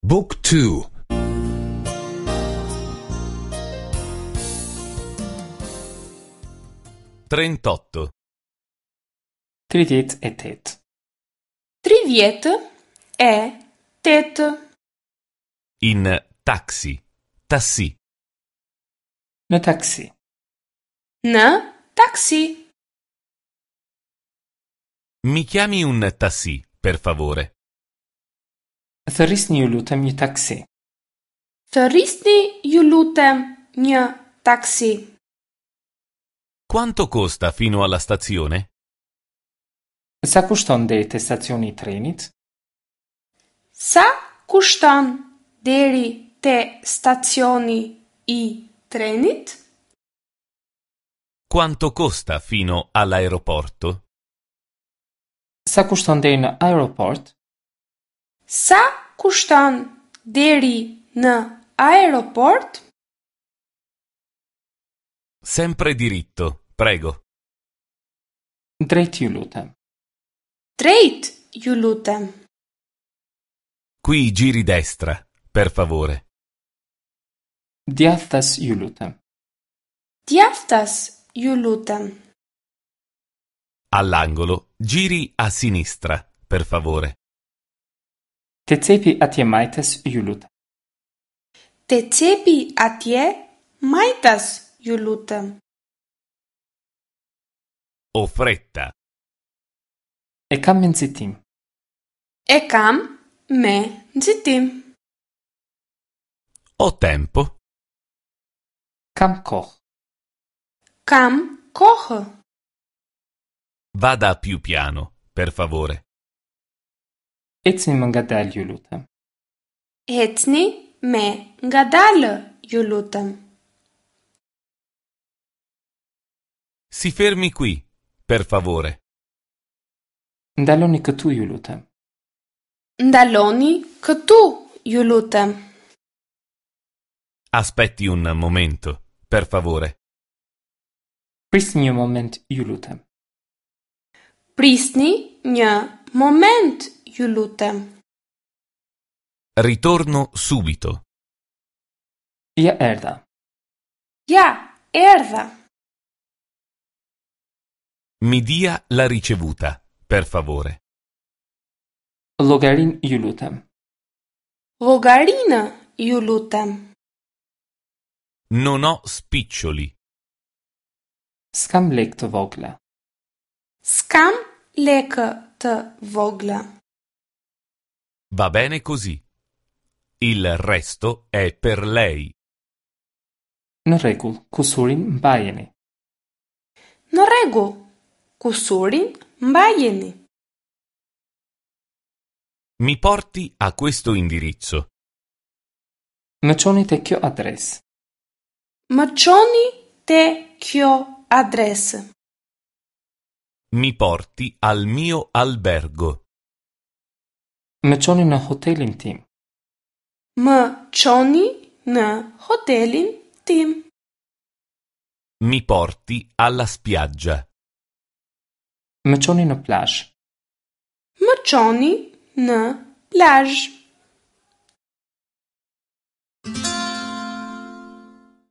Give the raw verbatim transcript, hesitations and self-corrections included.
Book two. Trentotto. Tridhjetë e tetë. Tridhjetë e tetë. In taxi, tassì. Në taksi. Në taksi. Mi chiami un tassì, per favore. Thërrisni ju lutem një taksi. Thërrisni ju lutem një taksi. Quanto costa fino alla stazione? Sa kushton deri te stacioni i trenit? Sa kushton deri te stacioni i trenit? Quanto costa fino all'aeroporto? Sa kushton deri në aeroport? Sa kushton deri në aeroport? Sempre diritto, prego. Drejt ju lutem. Drejt ju lutem. Qui giri destra, per favore. Djathtas ju lutem. Djathtas ju lutem. All'angolo giri a sinistra, per favore. Te cepi atje majtas ju lutem. Te cepi atje majtas ju lutem. Ho fretta. E kam me nxitim. E kam me nxitim. Ho tempo. Kam kohë. Kam kohë. Vada più piano, per favore. Ecni më ngadalë ju lutem. Ecni me ngadalë ju lutem. Si fermi qui, per favore. Ndaloni këtu ju lutem. Ndaloni këtu ju lutem. Aspetti un momento, per favore. Prisni një moment ju lutem. Prisni një moment ju lutem. Ritorno subito. Ja erdha. Ja erdha. Mi dia la ricevuta, per favore. Llogarin ju lutem. Llogarinë ju lutem. Non ho spiccioli. S'kam lek të vogla. S'kam lekë të vogla. Va bene così. Il resto è per lei. Në rregull, kusurin mbajeni. Në rregull, kusurin mbajeni. Mi porti a questo indirizzo. Më çoni te kjo adresë. Më çoni te kjo adresë. Mi porti al mio albergo. Më çoni në hotelin tim. Më çoni në hotelin tim. Mi porti alla spiaggia. Më çoni në plazh. Më çoni në plazh.